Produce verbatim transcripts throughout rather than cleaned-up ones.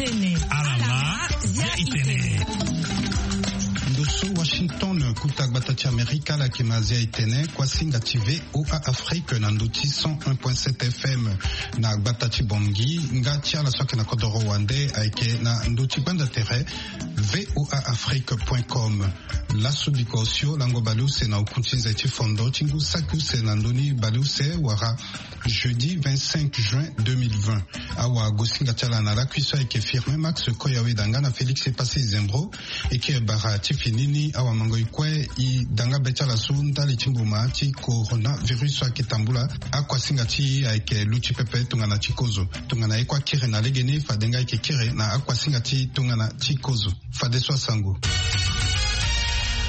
Alama, zia itene. Ndo so Washington, kuta gbata ti Amerika, ala yeke ma zia itene, kuasinga ti V O A Afrique na ndo ti cent un point sept F M na gbata ti Bangui, nga ti ala so ayeke na kodoro wande ayeke na ndo ti gbanda tere V O A Afrique point com. Laso biko osio lango baleuse na oku ti nze ti fondo ti ngu saki use na ndoni baleuse wala jeudi vingt-cinq juin deux mille vingt. Awagosinga ti ala na lakui so ayeke Firmin Max Koyawe danga na Félix Epassi Zembro. E kiri bara ti fini ni awamango e kue e danga be ti ala so ndali ti mbuma ti coronavirus so ayeke tambula akuasinga ti e ayeke luti pepe tongana ti kozo. Tongana e kue akiri na legeni, fade nga e yeke kiri na akuasinga ti tongana ti kozo. Fadeso asango.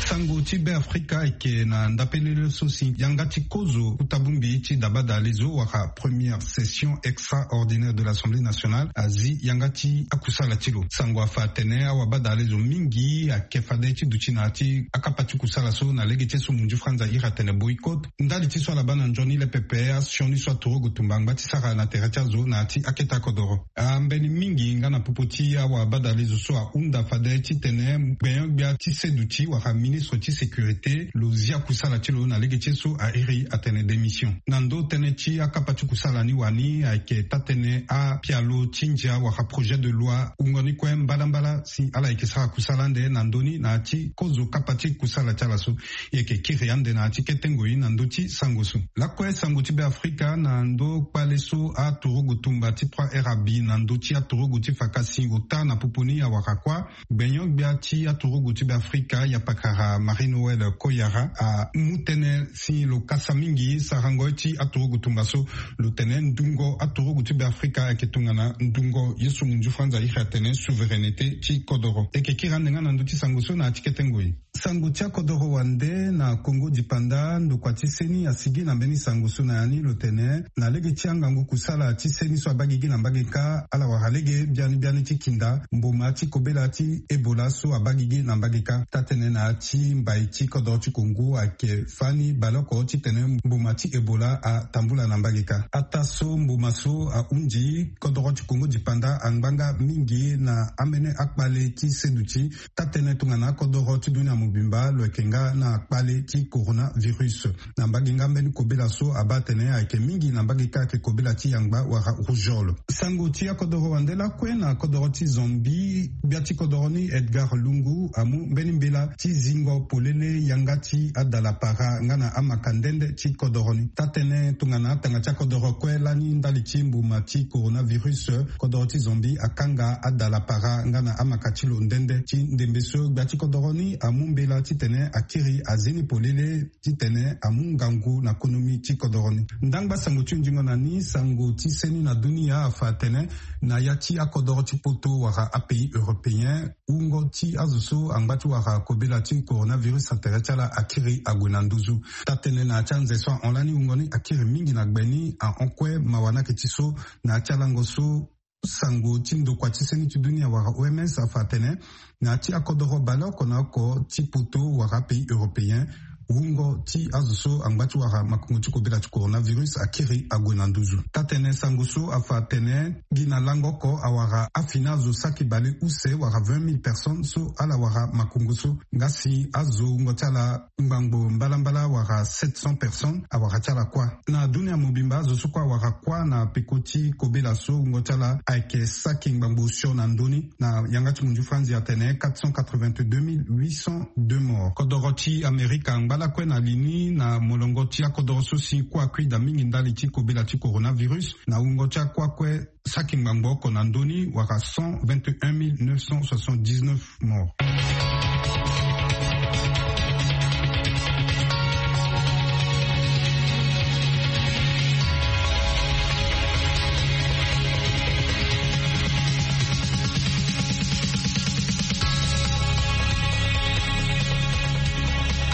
Sango ti Be Afrika ayeke na ndapelele so si yanga ti kozo kuta bongbi ti dabada lezo wala première session extraordinaire de l'Assemblée nationale azi yanga ti akusala ti lo. Sango afa atene awabada lezo mingi ayeke fade ti duti na ya ti akapa ti kusala so na lege ti so munzu franza iri atene boycott. Ndali ti so ala baa na nzoni le pepe asioni so aturugu tumba angba ti sara na tere ti azo na ya ti akete akodoro. Ambeni mingi nga na popo ti awabadalezo so ahunda fade titene gbenyo-gbia ti seduti wala ministre ti sécurité lo zia kusala ti lo na lege ti so airi atene démission. Na ndo tënë ti akapa ti kusala ni wani ayeke taa-tënë apialo ti ndia wala projet de loi wungo ni kue mbadambala si ala yeke sara kusala ande na ndö ni na ya ti kozo kapa ti kusala ti ala so. E yeke kiri ande na ya ti kete ngoi na ndö ti sango so. Lakue sango ti Be Afrika na ndö kpale so aturugu tumba ti trois R abi na ndö ti aturugu ti fakasi ota na popo ni awara kuâ. Gbenyo-gbia ti aturugu ti Be Afrika yapakara Marie Noëlle Koyara amu tënë si lo kasa mingi sarango ye ti aturugu tumba so. Lo tene ndungo aturugu ti Be Afrika ayeke tongana ndungo ye so munzu franza iri atene souveraineté ti kodoro. E yeke kiri ande nga na ndö ti sango so na ya ti kete ngoi. Sango ti akodoro wande na Congo dipanda, ndokua ti seni asigi na mbeni sango so na ya ni lo tene na lege ti angangu kusala ti seni so abaa gigi na mbage kâ ala wara lege biani biani ti kinda mboma ti kobela ti Ebola so abaa gigi na mbage kâ. Taa-tënë na ya ti mbai ti kodoro ti Congo ayeke fani baleoko titene mboma ti Ebola atambula na mbage kâ. Ataa so mboma so ahunzi, kodoro ti Congo dipanda angba nga mingi na ambeni akpale ti seduti. Taa-tënë tongana akodoro ti dunia mobimba lo yeke nga na kpale ti coronavirus. Na mbage nga mbeni kobela so abaa atene ayeke mingi na mbage kâ ayeke kobela ti yangba wala rougeole. Sango ti akodoro wande lakue na kodoro ti Zambie, gbia ti kodoro ni Edgar Lungu amu mbeni mbela ti zingo polele yanga ti adalapara nga na amaka nde nde ti kodoro ni. Taa-tënë tongana atanga ti akodoro kue lani ndali ti mboma ti coronavirus, kodoro ti Zambie akanga adalapara nga na amaka ti lo nde nde. Ti ndembe so gbia ti kodoro ni amu mbela titene akiri azi ni polele titene amu ngangu na konomi ti kodoro ni. Ndangba sango ti hunzingo na ni, sango ti seni na dunia afa atene na ya ti akodoro ti poto wala apays européen, wungo ti azo so angba ti wara kobela ti coronavirus na tere ti ala akiri ague na nduzu. Taa-tënë na ya ti anze so ahon lani wungo ni akiri mingi na gbe ni ahon kue mawa ni ayeke ti so na ya ti alango so sango ti ndokua ti seni ti dunia wala O M S afa atene na ya ti akodoro baleoko na oko ti poto wala apays européen, wungo ti azo so angba ti wara makongo ti kobela ti coronavirus akiri ague na nduzu. Taa-tënë sango so afa atene gi na lango oko awara afini azo saki baleuse wala vingt mille personnes so ala wara makongo so. Nga si azo wungo ti ala ngbangbo mbalambala wala sept cents personnes awara ti ala kuâ. Na dunia mobimba azo so kue awara kuâ na peko ti kobela so wungo ti ala ayeke saki ngbangbo osio na ndö ni. Na yanga ti munzu franzi atene quatre cent quatre-vingt-deux mille huit cent deux morts. Kodoro ti Amerika angba lakue na li ni na molongo ti akodoro so si kue akui daa mingi ndali ti kobela ti coronavirus. Na wungo ti akua kue saki ngbangbo oko na ndö ni wala cent vingt et un mille neuf cent soixante-dix-neuf morts.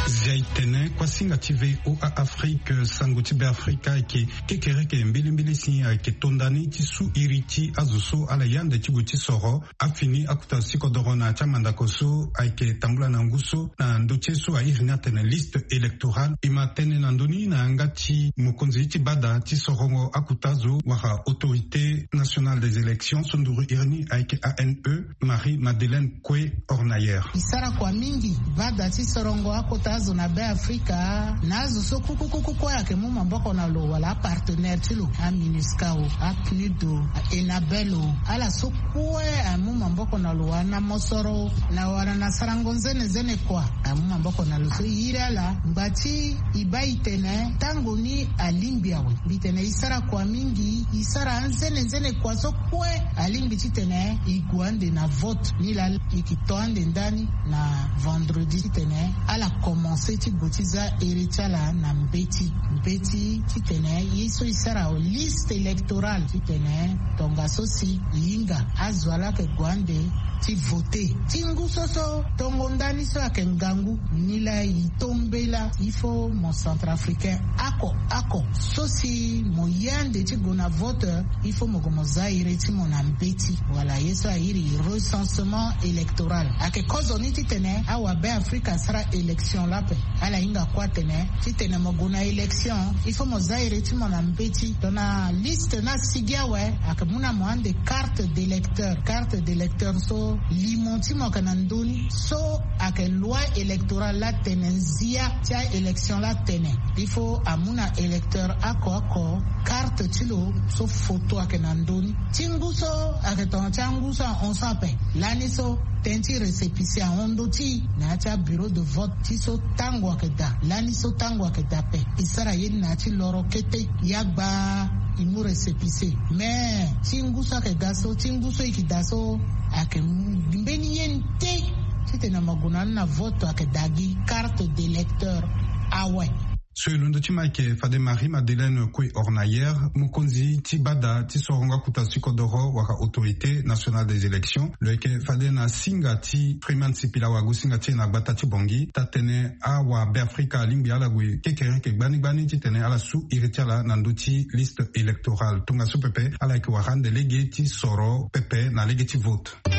Zia itene Kuasinga ti VOA Afrique, sango ti Beafrika ayeke kekereke mbilimbili si ayeke to ndani ti su iri ti azo so ala yande ti gue ti soro afini akuta ti kodoro na ya ti amandako so ayeke tambula na ngu so na ndö ti ye so airi ni atene liste électorale. E ma tene na ndö ni na yanga ti mokonzi ti bada ti sorongo akuta azo wala Autorité Nationale des Élections so nduru iri ni ayeke A N E, Marie Madeleine Kue Hornayer. E sara kua mingi bada ti sorongo akota azo na Beafrika na azo so kukukuku kue ayeke mu maboko na lo wala apartenaire ti lo, aMINUSCA o, aPNUD o, aENABEL o. Ala so kue amu maboko na lo wala na mosoro na wala na sarango nzene nzene kua amu maboko na lo so e iri ala ngba ti e baa e tene tango ni alingbi awe. Mbi tene e sara kua mingi, e sara anzene nzene kua so kue alingbi titene e gue ande na vote. Nilaa e yeke to ande ndani na vendredi titene ala komanse ti gue ti za ere ti ala na mbeti mbeti titene ye so e sara liste électorale titene tongaso si e hinga azo ala yeke gue ande ti vote. Ti ngu so so tongo ndani so ayeke ngangu, nilaa e to mbela il faut mo centrafricain oko oko so si mo ye ande ti gue na vote, il faut mo gue mo za ere ti mo na mbeti wala ye so airi recensement électoral. Ayeke kozoni titene awabeafrika asara élection lape. Ala hinga kue atene titene mo gue na élection il faut mo za ere ti mo na mbeti. Tongana liste ni asigi awe, ayeke mu na mo ande carte d'électeur. Carte d'électeur so limo ti mo ayeke na ndö ni so ayeke loi électorale laa atene nzia ti aélection laa atene il faut amu na électeur oko oko carte ti lo so foto ayeke na ndö ni. Ti ngu so ayeke tongana ti angu so ahon so ape. Lani so tënë ti récépissé ahon ndö ti e na ya ti abureau de vote ti so tango ayeke daa. Lani so tango ayeke daa ape, e sara ye ni na ya ti loro kete. Ya gbaa e mu récépissé. Mais ti ngu so ayeke ga so, ti ngu so e yeke daa so, ayeke mbeni ye nde titene mo gue na ni na vote ayeke daa gi carte d'électeur awe. So e londo ti ma ayeke fade Marie Madeleine Kue Hornayer, mokonzi ti bada ti sorongo akuta ti kodoro wala Autorité Nationale des Élections, lo yeke fade na singa ti Freeman Sipila wago singa ti e na gbata ti Bangui, taa-tënë awabeafrika alingbi ala gue kekereke gbani gbani titene ala su iri ti ala na ndö ti liste électorale. Tongaso pepe ala yeke wara ande lege ti soro pepe na lege ti vote. E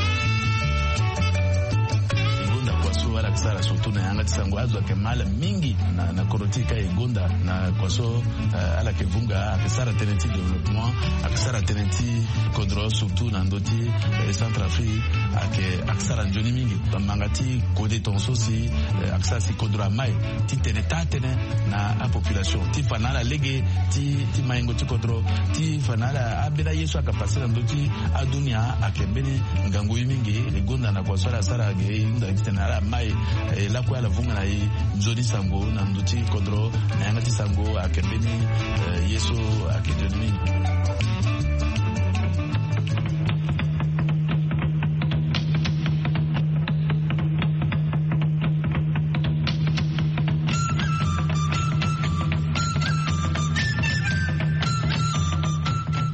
gonda kua so ala yeke sara surtout na yanga ti sango azo ayeke ma ala mingi na, na kodro ti e ka e gonda na kua so, eh, ala yeke vunga ayeke sara tënë ti développement, ayeke sara tënë ti kodro surtout na ndö ti, eh, Centrafrique, ayeke, ayeke sara nzoni mingi. Bamanga ti kode tongaso si, eh, ayeke sara si kodro amai titene taa-tënë na apopulation ti fa na ala lege ti, ti maingo ti kodro, ti fa na ala ambeni aye so ayeke pase na ndö ti adunia ayeke mbeni ngangu ye mingi. E gonda na kua so ala sara ge e hunda titene ala mai, eh, lakue ala vunga na e nzoni sango na ndö ti kodro na yanga ti sango ayeke mbeni, eh, ye so ayeke nzoni mingi.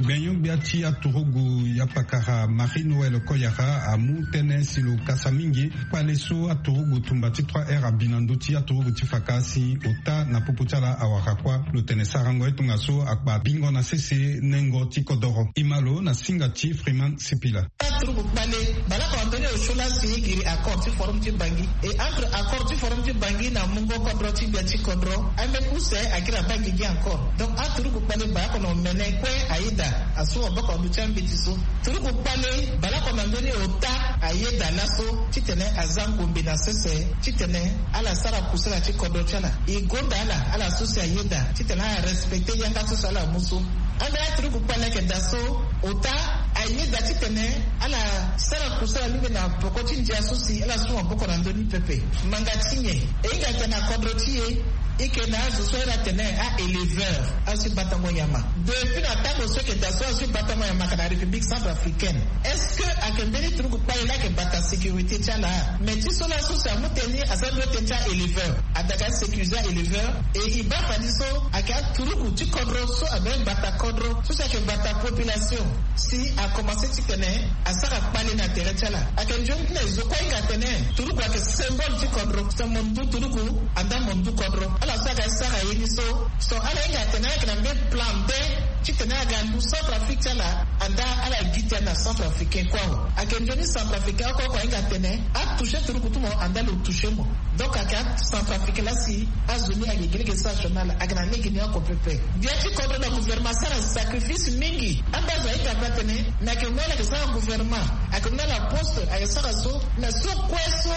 Gbenyo-gbia ti aturugu ya pakara Marie Noël Koyara amu tënë si lo kasa mingi kpale so aturugu tumba ti trois R abi na ndö ti aturugu ti faka si ota na popo ti ala awara kuâ. Lo tene sarango ye tongaso akpa bingo na sese nengo ti kodoro. E ma lo na singa ti Freeman Sipila. Aturugu kpale, baleoko na ndö ni osio laa si e giri accord ti forum ti Bangui. E entre accord ti forum ti Bangui na mungo kodro ti gbia ti kodro, ambeni use agiri abaa gigi encore. Donc aturugu kpale baleoko na omene kue ayeda asu maboko na ndö ti ambeti so. Turugu kpale, baleoko na ndö ni ota ayeda laso titene aza ngombe na sese titene ala sara kusala ti kodro ti ala. E gonda ala, ala so si ayeda titene ala respecter yanga so si ala mu so. Ambeni aturugu kpale ayeke daa so ota ayeda titene ala sara kusala mingi na peko ti ndia so si ala su maboko na ndö ni pepe. Manga ti nyen? E hinga tene na kodro ti e, e yeke na azo so ala tene a-éleveur, azo ti batango nyama. Depuis na tango so e yeke daa so azo ti batango nyama ayeke na République centrafricaine. Est-ce que ayeke mbeni turugu kpale laa ayeke bata sécurité ti ala? Mais ti so laso si amu tënë ni aza ndo tënë ti a-éleveur. Adaka sécuriser a-éleveur. E e baa fani so ayeke aturugu ti kodro so abe bata kodro so si ayeke bata population. Si akomanse titene asara kpale na tere ti ala. Ayeke nzoni ti na e zo kue ahinga atene turugu ayeke symbole ti kodro. So mo ndu turugu, andaa mo ndu kodro. Ala so aga sara ye ni so so ala hinga atene ala yeke na mbe plan be titene aga ndu centrafrique ti ala. Anda ala gi ti ala na centrafricain kue awe. Ayeke nzoni centrafricain oko oko ahinga atene atouche turuku ti mo anda lo touche mo. Donc ayeke acentrafricain laa si azo ni ayeke gi lege sara sioni ala ayeke na lege ni oko pepe. Bia ti kodro na gouvernement asara sacrifice mingi. Anda azo ahinga pe atene na yeke mu ala yeke sara gouvernement, ayeke mu ala poste, ayeke sara so na so kue so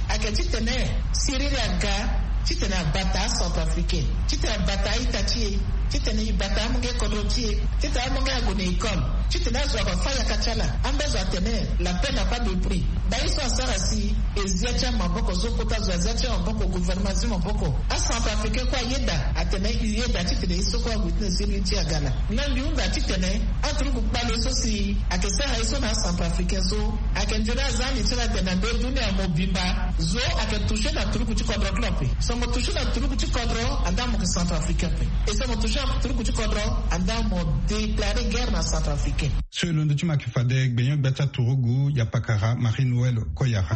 ayeke titene siriri aga titene abata acentrafricain, titene abata aita ti e, titene e bata amonge kodro ti e, titene amonge ague na école, titene azo afa yaka ti ala. Anda azo atene la paix n'a pas de prix. Baa ye so asara si e zia ti amaboko so kota azo azia ti amaboko, gouvernement azia maboko. Acentrafricain kue ayeda atene e yeda titene ye so kue ague ti na siriri ti aga laa. Na mbi hunda titene aturuku kpale so si ayeke sara ye so na acentrafricain so ayeke nzoni aza ni ti ala atene na nde dunia mobimba zo ayeke touche na turuku ti kodro kue ape. So mo touche na turuku ti kodro anda mo yeke centrafricain ape. E so mo touche na turuku ti kodro anda mo déclarer guerre na centrafricain. So e londo ti mo ayeke fade gbenyo-gbia ti aturugu, yapakara Marie Noël Koyara.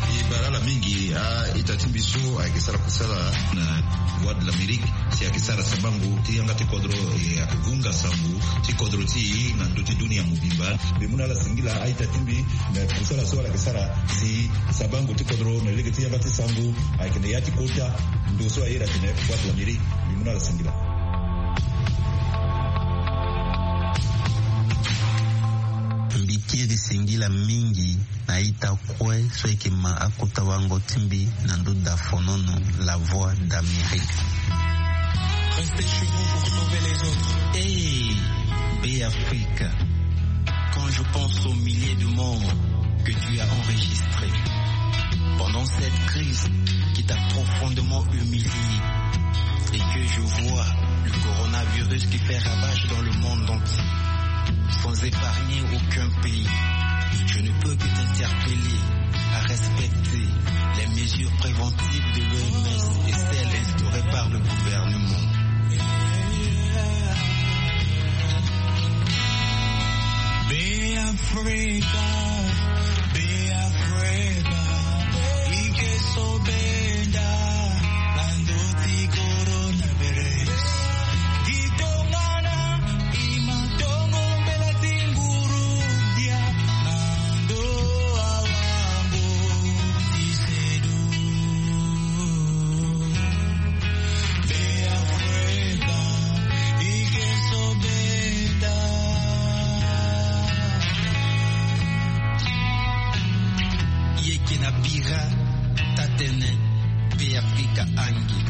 E bara ala mingi a-ita ti mbi so ayeke sara kusala na Voix de l'Amérique si ayeke sara sabango ti yanga ti kodro, e ayeke vunga sango ti kodro ti e na ndö ti dunia mobimba. Mbi mu na ala singila a-ita ti mbi na kusala so ala yeke sara si sabango ti kodro na lege ti yanga ti sango ayeke na ya ti kota ndo so aye atene Voix de l'Amérique. Mbi mu na ala singila. Mbi kiri singila mingi na ita kue so eke ma akota wango ti mbi na ndo da fonono. La Voix d'Amérique. Restez chez vous pour sauver les autres. Hey, B'Afrique, quand je pense aux milliers de morts que tu as enregistrés pendant cette crise qui t'a profondément humilié et que je vois le coronavirus qui fait ravage dans le monde entier, sans épargner aucun pays, je ne peux que t'interpeller à respecter les mesures préventives de l'O M S et celles instaurées par le gouvernement. Be Africa, be Africa, ike so benda na ndö ti coronavirus. Gi tongana i ma tongo mbela ti nguru dia na ndö awango ti sedu. Be Africa, ike so benda. Yeke na bira tatene Be Africa angi.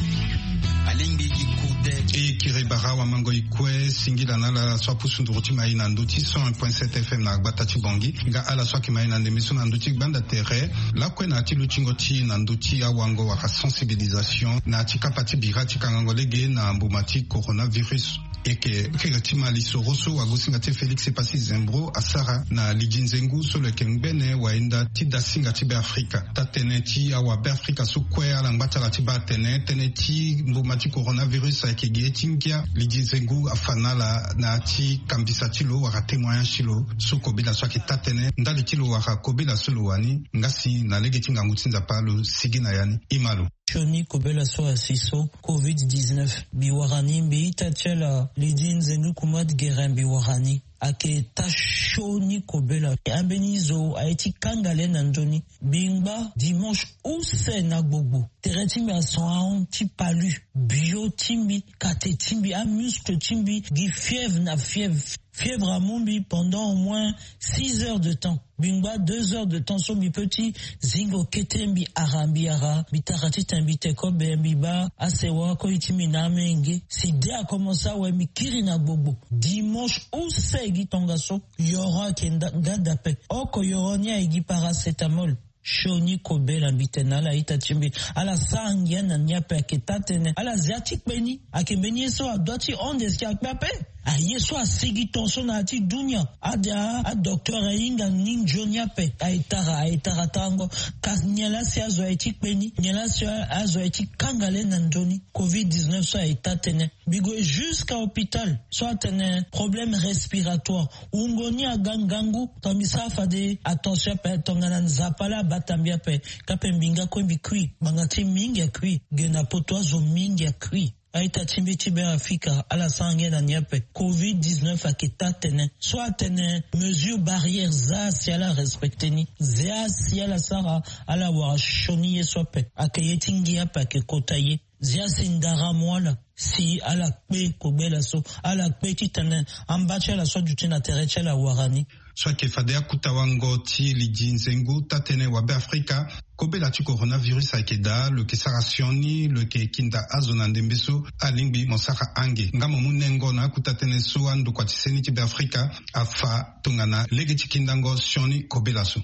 Alingbi gi kude. E kiri bara wamango i kue singila na ala so apusu nduru ti mai na ndö ti cent un point sept F M na gbata ti Bangui. Nga ala so ayeke mai na ndembe so na ndö ti gbanda tere lakue na ya ti lutingo ti na ndö ti awango wala sensibilisation na ya ti kapa ti bira ti kangango lege na mbuma ti coronavirus. Yeke kiri ti ma lisoro so wagosinga ti Félix Epassi Zembro asara na lidi nzengu so lo yeke ngbene wayenda ti dasinga ti Be Afrika. Taa-tënë ti awa Be Afrika so kue ala ngba ti ala ti baa atene tënë ti mbuma ti coronavirus ayeke gi ye ti ngia. Lidi nzengu afa na ala na ya ti kambisa ti lo wala témoignage ti lo so kobela so ayeke taa-tënë ndali ti lo wala kobela so lo wani. Nga si na lege ti ngangu ti Nzapa lo sigi na ya ni. Ima lo. Sioni kobela so asi so covid dix-neuf mbi wara ni mbi ita ti ala lidi nzengu Kumad Guérin mbi wara ni. Ayeke taa sioni kobela. Ambeni zo aye ti kanga le na nzoni. Mbi ngba dimanche use na gbogbo. Tere ti mbi ason ahon ti palu. Bio ti mbi, kate ti mbi, amuscle ti mbi gi fièvre na fièvre. Fièvre amu mbi pendant au moins six heures de temps. Mbi ngba deux heures de temps so mbi peut ti zingo kete mbi ara mbi ara mbi tara titene mbi te kobe mbi baa asewa koi ti mbi na amenge. Si de akomense awe mbi kiri na gbogbo. Dimanche use gi tongaso. Yoro ayeke nda- nga dape. Oko yoro ni aye gi paracétamol. Sioni kobela mbi tene na ala ita ti mbi. Ala sara ngia na ni ape ayeke taa-tënë. Ala zia ti kpe ni. Ayeke mbeni ye so adua ti hon de si akpe ape. Aye so asigi tension na ya ti dunia. Ade adocteur ahinga ni nzoni ape. Aye tara aye tara tango. Kasi nyen laa si azo aye ti kpe ni, nyen laa si azo aye ti kanga le na nzoni. Covid dix-neuf so aye taa tënë. Mbi gue jusqu'à hôpital so atene problème respiratoire. Wungo ni aga ngangu. Tongana mbi sara fade attention ape tongana Nzapa laa abata mbi ape. Kape mbi nga kue mbi kui. Ngbanga ti mingi akui. Ge na poto azo mingi akui. A-ita ti mbi ti Beafrika ala sara ngia na ni ape. Covid dix-neuf ayeke taa tënë. So atene mesure barrière zia si ala respecte ni. Zia si ala sara ala wara sioni ye so ape. Ayeke ye ti ngia ape ayeke kota ye. Zia si ndara mu ala si ala kpe kobela so. Ala kpe titene amba ti ala so aduti na tere ti ala awara ni. So ayeke fade akuta wango ti lidi nzengu taa tënë wa Beafrika. Kobela ti coronavirus ayeke daa lo yeke sara sioni lo yeke kinda azo na ndembe so. Alingbi mo sara ange nga mo mu nengo na akuta tënë so andokua ti seni ti Beafrika afa tongana lege ti kindango sioni kobela so.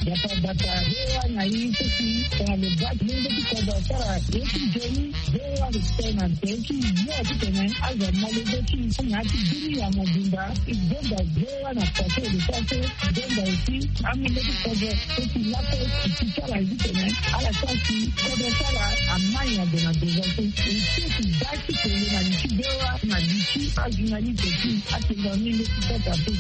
Bata bata hewa na ye ti si tongana lo baa ti lenge ti kodro asara ye ti nzoni. Hewa lo tene na nzoni ti yo titene azo amale zo ti na ya ti dunia mobimba. E gonda hewa na pase e lo sara so. E gonda aussi amenge ti kodro so si lape e ti sara ye titene ala sara si kodro ti ala amai na gue na devant so. E ti e ti baa ti kele na li ti hewa na li ti ajournaliste ti. Atenga mingi ti kota pe.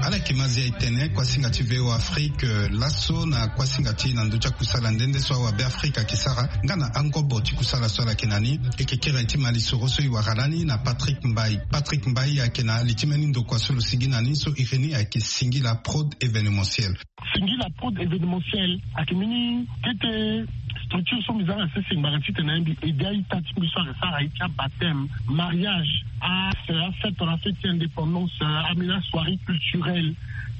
Ala yeke ma zia e tene kuasinga ti V O Afrique, eh, laso na kuasinga ti na ndö ti akusala nde nde so awa Beafrika ayeke sara nga na angobo ti kusala so ala yeke na ni. E yeke kiri aye ti mali soro so e wara lani na Patrick Mbaye. Patrick Mbaye ayeke na li ti mbeni ndokua so lo sigi na ni so iri ni ayeke Singila Prod Événementiel. Singila Prod Événementiel ayeke mbeni kete structure so mbi za na sese ngbanga titene mbi aide a-ita ti mbi so ayeke sara aye ti abaptême, mariage, a, afête, tongana fête ti indépendance, a, ambeni asoirée culturelle,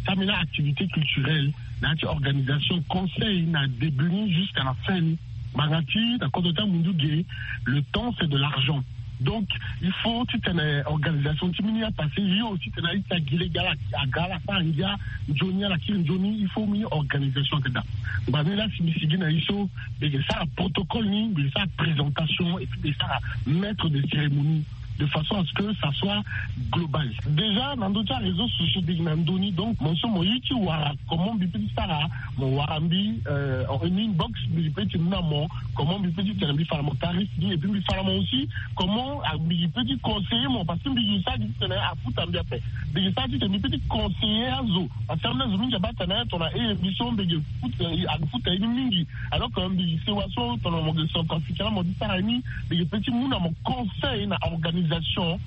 ti ambeni aactivité culturelle, na ya ti organisation, conseil na début ni jusqu'à la fin ni. Ngbanga ti na kodro ti amundu ge, le temps c'est de l'argent. Donc il faut titene organisation ti mbeni apassé yo titene a-ita gi lege ala aga ala sara ngia nzoni ala kiri nzoni, il faut mbeni organisation ayeke daa. Ngbanga ni laa si mbi sigi na ye so mbi yeke sara protocole ni, mbi yeke sara présentation et puis mbi yeke sara maître de cérémonie de façon à ce que ça soit global. Déjà na ndö ti aréseau sociaux mbi yeke na ndö ni, donc mo so mo ye ti wara comment mbi peut ti sara, mo wara mbi, euh, en inbox mbi peut ti mu na mo comment mbi peut ti tene mbi fa na mo tarif ni, et puis mbi fa na mo aussi comment, ah, mbi peut ti conseiller mo parce que mbi yeke sara gi titene afuta mbi ape. Mbi yeke sara titene mbi peut ti conseiller azo parce que ambeni azo mingi abaa tene tongana e mbi so mbi yeke futa, eh, afuta ye ni mingi. Alors que mbi yeke sewa so tongana mo yeke centrafricain la mo ti sara ye ni, mbi yeke peut ti mu na mo conseil na organisation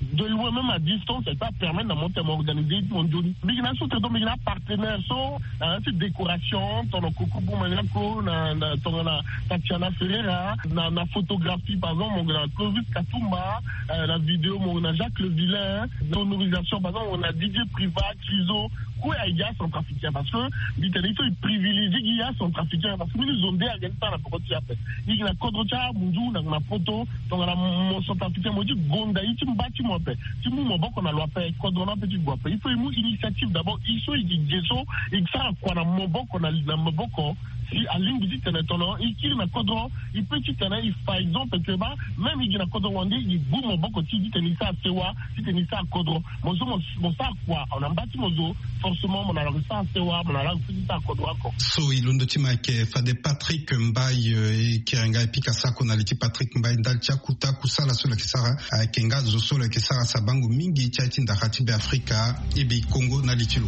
de loin même à distance, et ça permet na mo tene mo organiser ye ti mo nzoni. Mbi yeke na so tene donc mbi yeke na apartenaire so na ya ti décoration tongana Koko Bumaniako, na, na tongana Tatiana Ferreira, na, na photographie par exemple mo yeke na Clovis Katumba, euh, na vidéo mo yeke na Jacques Le Vilain, sonorisation par exemple mo yeke na Didier Privat, Criso. Kue ayeke acentrafricain parce que mbi tene il faut e privilégier gi acentrafricain parce que mbeni zo nde ayeke ti sara na peko ti e ape. E yeke na kodro ti amundu na, na poto. Tongana mo centrafricain mo ye ti gonda ye ti mba ti mo ape, ti mu maboko na lo ape, kodro ni ape ti gue ape. Il faut e mu initiative d'abord. E so e yeke ge so e sara kua na maboko na, na maboko. Si alingbi titene tongana e kiri na kodro e peut titene e fa exemple que ba même e gi na kodro wande e gue maboko ti e titene e sara sewa, titene e sara kodro. Mo so mo, mo sara kua na mba ti mo zo. Forcément mo na lako sara sewa, mo na lako fiti sara kodro oko. So e londo ti mo ayeke fade Patrick Mbaye, eh, e kiri nga e pika sako na li ti Patrick Mbaye ndali ti akuta kusala so lo yeke sara. Ayeke nga zo so lo yeke sara sabango mingi ti aye ti ndara ti Be Afrika, E B I Congo na li ti lo.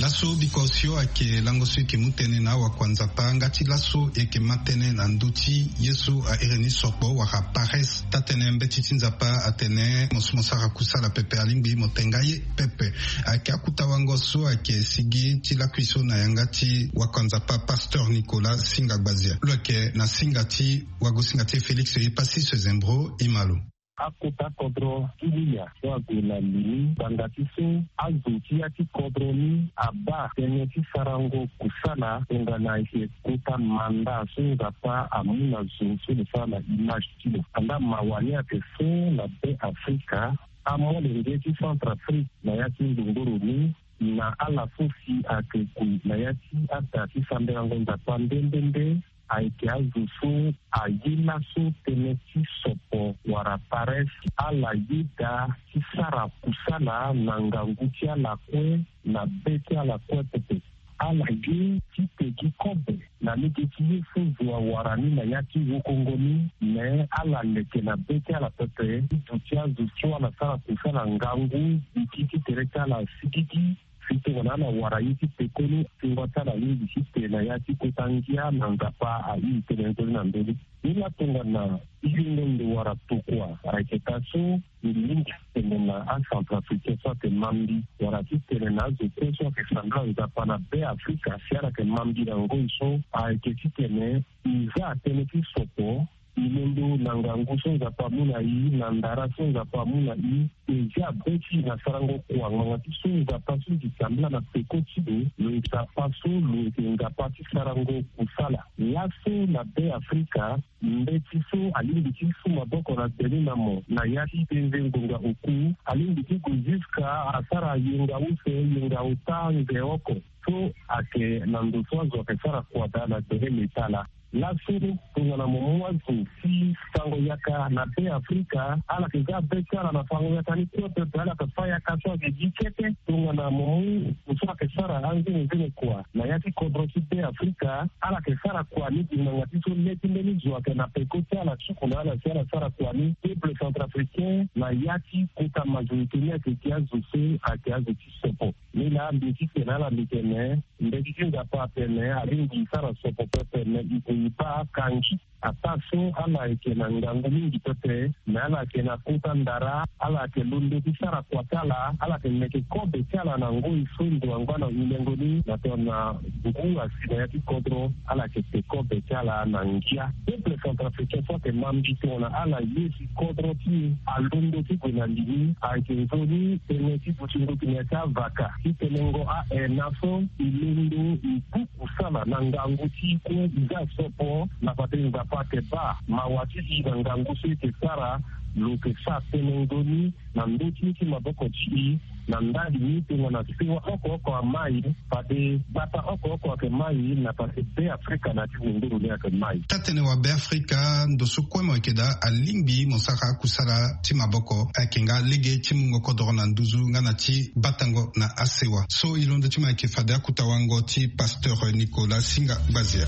Laso biko osio ayeke lango so e yeke mu tënë na awakuanzapa nga ti laso e yeke ma tënë na ndö ti ye so a iri ni sokpo wala paresse. Taa-tënë mbeti ti Nzapa atene mo so mo sara kusala pepe alingbi mo te nga ye pepe. Ayeke akuta wango so ayeke sigi ti lakui so na yanga ti wakuanzapa Pasteur Nicolas Singa Gbazia. Lo yeke na singa ti wagosinga ti e Félix Epassis Zembro, e ma lo. Akota kodro ti Lilya so ague na li ni ngbanga ti so azo ti ya ti kodro ni abaa tënë ti sarango kusala tongana ayeke kota manda so Nzapa amu na zo so lo sara na image ti lo. Andaa mawa ni ayeke so na Be Afrika, amolenge ti Centrafrique na ya ti ndongoro ni, na ala so si ayeke gue na ya ti ada ti sambelango Nzapa nde nde nde, ayeke azo so aye laso tënë ti sokpo wala paresse. Ala yeda ti sara kusala na ngangu ti ala kue, na be ti ala kue pepe. Ala ye ti pegi kobe na lege ti ye so zo awara ni na ya ti wokongo ni, me ala leke na be ti ala pepe ti duti azo so ala sara kusala ngangu, gi ti tere ti ala asigigi. Si tongana ala wara ye ti pekoni, tingua ti ala alingbi ti te na ya ti kota ngia na Nzapa airi tënë nzoni na ndö ni. Ni laa tongana iringo ndo wala tokua ayeke taa so, mbi lingbi ti tene na aCentrafricain so ayeke ma mbi, wala ti tene na azo kue so ayeke sambela Nzapa na Be Afrika si ala yeke ma mbi na ngoi so, ayeke ti tene e za tënë ti sokpo. E londo na ngangu so Nzapa amu na e, na ndara so Nzapa amu na e, e zia be ti e na sarango kua ngbanga ti so Nzapa so e yeke sambela na peko ti lo, lo yeke Nzapa so lo yeke Nzapa ti sarango kusala. Laso na Be Afrika, mbeti so alingbi ti su maboko na gbe ni na mo na ya ti denze ngonga oku, alingbi ti gue jusqu'à asara yenga use, yenga ota, nze oko. So ayeke na ndo so azo ayeke sara kua daa na gbele leta laa. Laso tongana mo mu azo ti fango yaka na Be Afrika, ala yeke za be ti ala na fango yaka ni kue pepe, ala yeke fa yaka so ayeke gi kete. Tongana mo mu ndo so ayeke sara anzenenzene kua na ya ti kodro ti Be Afrika, ala yeke sara kua ni gi ngbanga ti so le ti mbeni zo ayeke na peko ti ala, suku na ala si ala sara kua ni. Peuple centrafricain na ya ti kota majorité ni ayeke gi azo so ayeke azo ti sopo. Ni laa mbi ye ti tene na ala, mbi tene, mbeti ti Nzapa atene alingbi e sara sopo pepe, me e gue e baa akangi. Ataa so ala yeke na ngangu mingi pepe, me ala yeke na kota ndara, ala yeke londo ti sara kua ti ala, ala yeke meke kobe ti ala na ngoi so ndo angba na hulengo ni na tongana ngu asi na ya ti kodro, ala yeke te kobe ti ala na ngia. Peuple centrafricain so ayeke ma mbi tongana ala ye si kodro ti e alondo ti gue na li ni, ayeke nzoni tënë ti dutingo tene ya ti avaka ti tenengo aena so e londo e bu kusala na ngangu ti e kue e za sopo na fade Nzapa ayeke baa mawa ti e na ngangu so e yeke sara. Lo yeke sara tënë nzoni na ndö ti ye ti maboko ti e. Na ndali ni tongana sewa oko oko amai, fade gbata oko oko ayeke mai, na fade Be Afrika na ya ti wondoro ni ayeke mai. Taa-tënë wa Be Afrika, ndo so kue mo yeke daa alingbi mo sara akusala ti maboko, ayeke nga lege ti mungo kodoro na nduzu nga na ti batango na asewa. So e londo ti mo ayeke fade akuta wango ti Pasteur Nicolas Singa Gbazia.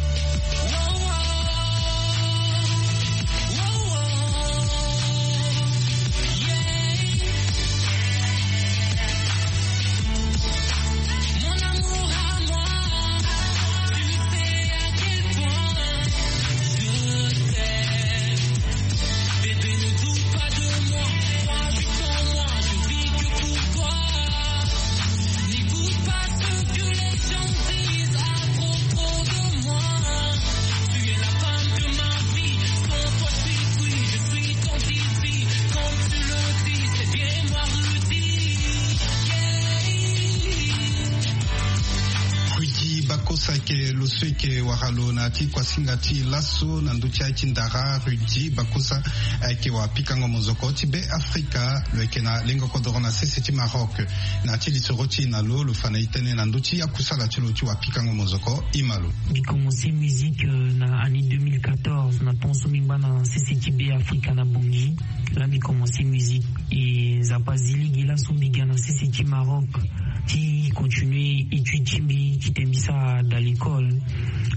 Ke lo so eke wara lo na ti kuasinga ti laso na ndö ti aye ti ndara Rudy Bakosa, ayeke wapikango mozoko ti Be Afrika. Lo yeke na lengo kodoro na sese ti Maroc. Na ti lisoro ti e na lo, lo fa na e tënë na ndö ti akusala ti lo ti wapikango mozoko. Ima lo. Mbi commencé musique, euh, na année deux mille quatorze, na temps so mbi ngba na sese ti Be Afrika na Bangui. Là mbi commencé musique. E Nzapa azi lege laso mbi ga na sese ti Maroc ti continuer étude ti mbi, ti tene mbi sara dans l'école.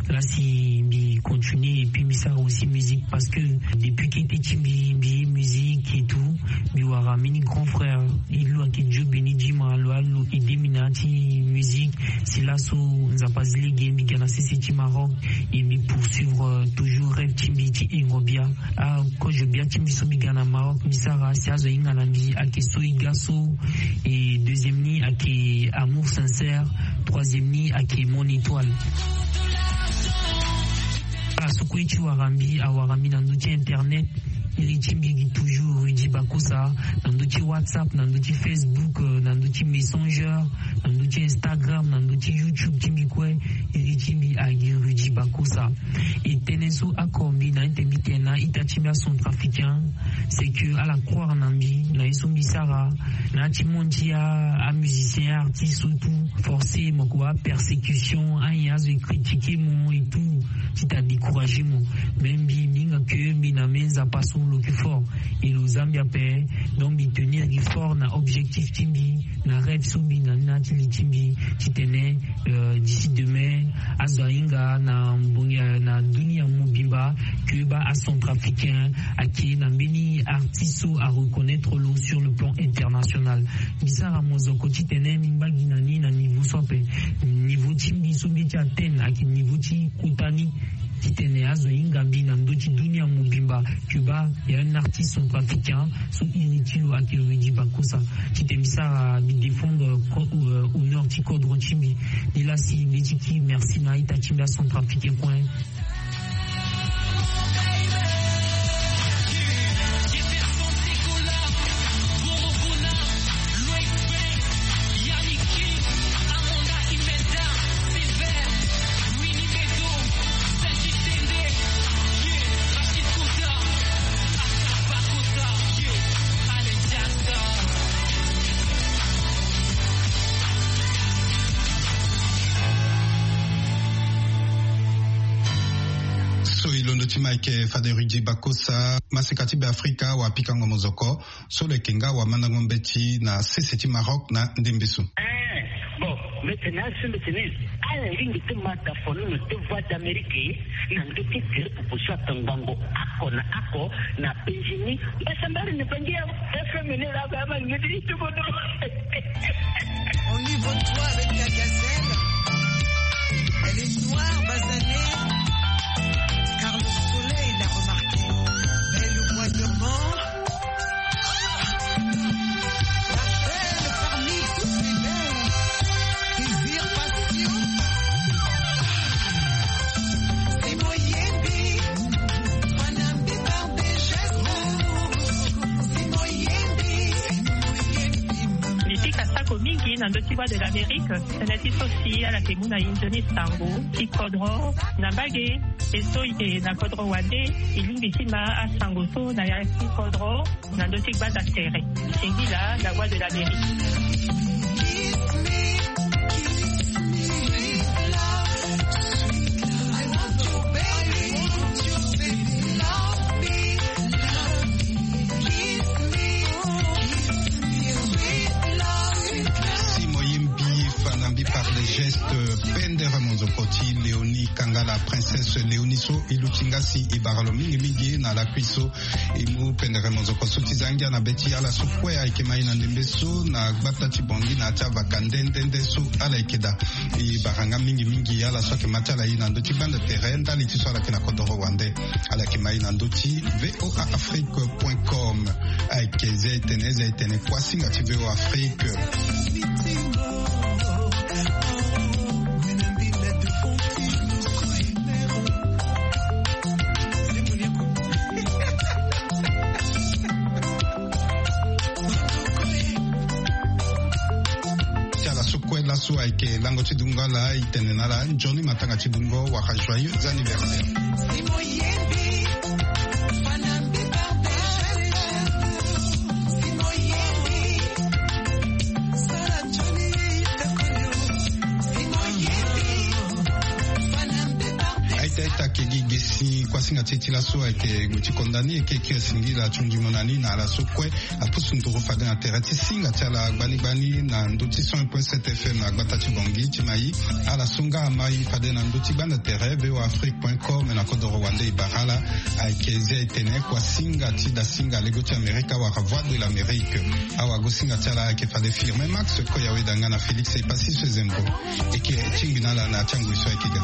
Là si mbi continuer et puis mbi sara aussi musique parce que depuis kete ti mbi, mbi ye musique et tout, mbi wara mbeni grand frère, e lo ayeke Dieu béni Djima, lo a lo aidé mbi na ya ti musique. Si laso Nzapa azi lege mbi ga na sese ti Maroc et mbi poursuivre, euh, toujours rêve ti mbi ti hingo bia. Ah, kozo bia ti mbi so mbi ga na Maroc mbi sara, si azo ahinga na mbi ayeke So E Ga So, et deuxième ni ayeke Amour Sincère, troisième ni ayeke Mon Étoile. Ala so kue ti wara mbi, awara mbi na ndö ti internet. Iri ti mbi gi toujours Rudy Bakosa, na ndö ti WhatsApp, na ndö ti Facebook, euh, na ndö ti Messenger, na ndö ti Instagram, na ndö ti YouTube ti mbi kue. Iri ti mbi agi Rudy Bakosa. E tënë so oko mbi na ete mbi tene na ita ti mbi acentrafricain, c'est que ala croire na mbi, na ye so mbi sara, na ya ti monde ti a, amusicien, artiste so tout, forcément kua persécution, ayen azo e critiquer mo et tout, ti ta décourager mo. Mais mbi, mbi hinga que mbi na me Nzapa so lo yeke fort, et lo za mbi ape. Donc mbi tenir gi fort na objectif ti mbi, na rêve so mbi na ni na ya ti li ti mbi, ti tene, euh, d'ici demain, azo ahinga na mbongi, euh, na dunia mobimba, que baa acentrafricain ayeke na mbeni artiste so areconnaître lo sur le plan international. Mbi sara mozoko ti tene mbi ngba gi na ni na niveau so ape. Niveau ti mbi so mbi ye ti atteindre ayeke niveau ti kota ni, ti tene azo ahinga mbi na ndö ti dunia mobimba, que baa il y a un artiste centrafricain so iri ti lo ayeke Rudy Bakosa. Ti tene mbi sara, mbi défendre, euh, co-, euh, honneur ti kodro ti mbi. Ni la si mbi ye ti ki merci na ita ti mbi acentrafricain kue. So e londo ti ma ayeke fade Rudy Bakosa, maseka ti Be Afrika, wapikango mozoko. So lo yeke nga wamandango mbeti na sese ti Maroc na ndembe so. Eh, bon, mbi tene asi mbi tene, ala lingbi ti ma tafono na te Voix d'Amérique na ndö ti tere popo so atongbango oko na oko na penzi ni. Mbasambari ni bangi ya F M ni la ba ma ni ti tubono. On y voit toi avec ta gazelle. Elle est noire, basanée, car le soleil l'a remarquée. Belle au bois dormant. La belle parmi toutes les belles. Désir, passion. Simo Yembi. Panambi par des gestes. Simo Yembi. Mbi pika sako mingi na ndö ti Voix de l'Amérique. Tënë ti so si ala yeke mu na e nzoni sango ti kodro na mbage. E so e yeke na kodro wande, e lingbi ti ma asango so na ya ti kodro na ndö ti gbanda tere. Singila, La Voix de l'Amérique. Si mo yembi fana mbi par les gestes, pendere monzoko ti Léonie Kangala, princesse Léonie so e luti nga si e bara lo mingi mingi na lakui so. E mu pendere monzoko so ti za ngia na be ti ala so kue ayeke ma e na ndembe so na gbata ti Bangui na ya ti avaka nde nde nde so ala yeke daa. E bara nga mingi mingi ala so ayeke ma ti ala e na ndö ti gbanda tere ndali ti so ala yeke na kodoro wande. Ala yeke ma e na ndö ti V O A Afrique point com. Ayeke ze tene, ze tene kuasinga ti V O A Afrique. Ti ala so kue laso ayeke lango ti dungo ala. Itene na ala nzoni matanga ti bungo wala joyeux anniversaire. Aita aita kegi gesi kuasinga ti e ti laso ayeke gue ti konda ni eke kio asingila ti hundimo na ni na ala so kue apusu nduru fade na tere ti singa ti ala gbani gbani na ndö ti cent point sept F M na gbata ti Bangui ti mai. Ala so nga amai fade na ndö ti gbanda tere V O A Afrique point com na kodoro wande e bara ala. Ayeke zia e tene kuasinga ti dasinga lego ti Amerika wala Voix de l'Amérique. Awagosinga ti ala ayeke fade Firmin Max Koyawe Danga na Félix Epassi Sezembo. Eke tingbi na ala na ti angoi so ayeke ga.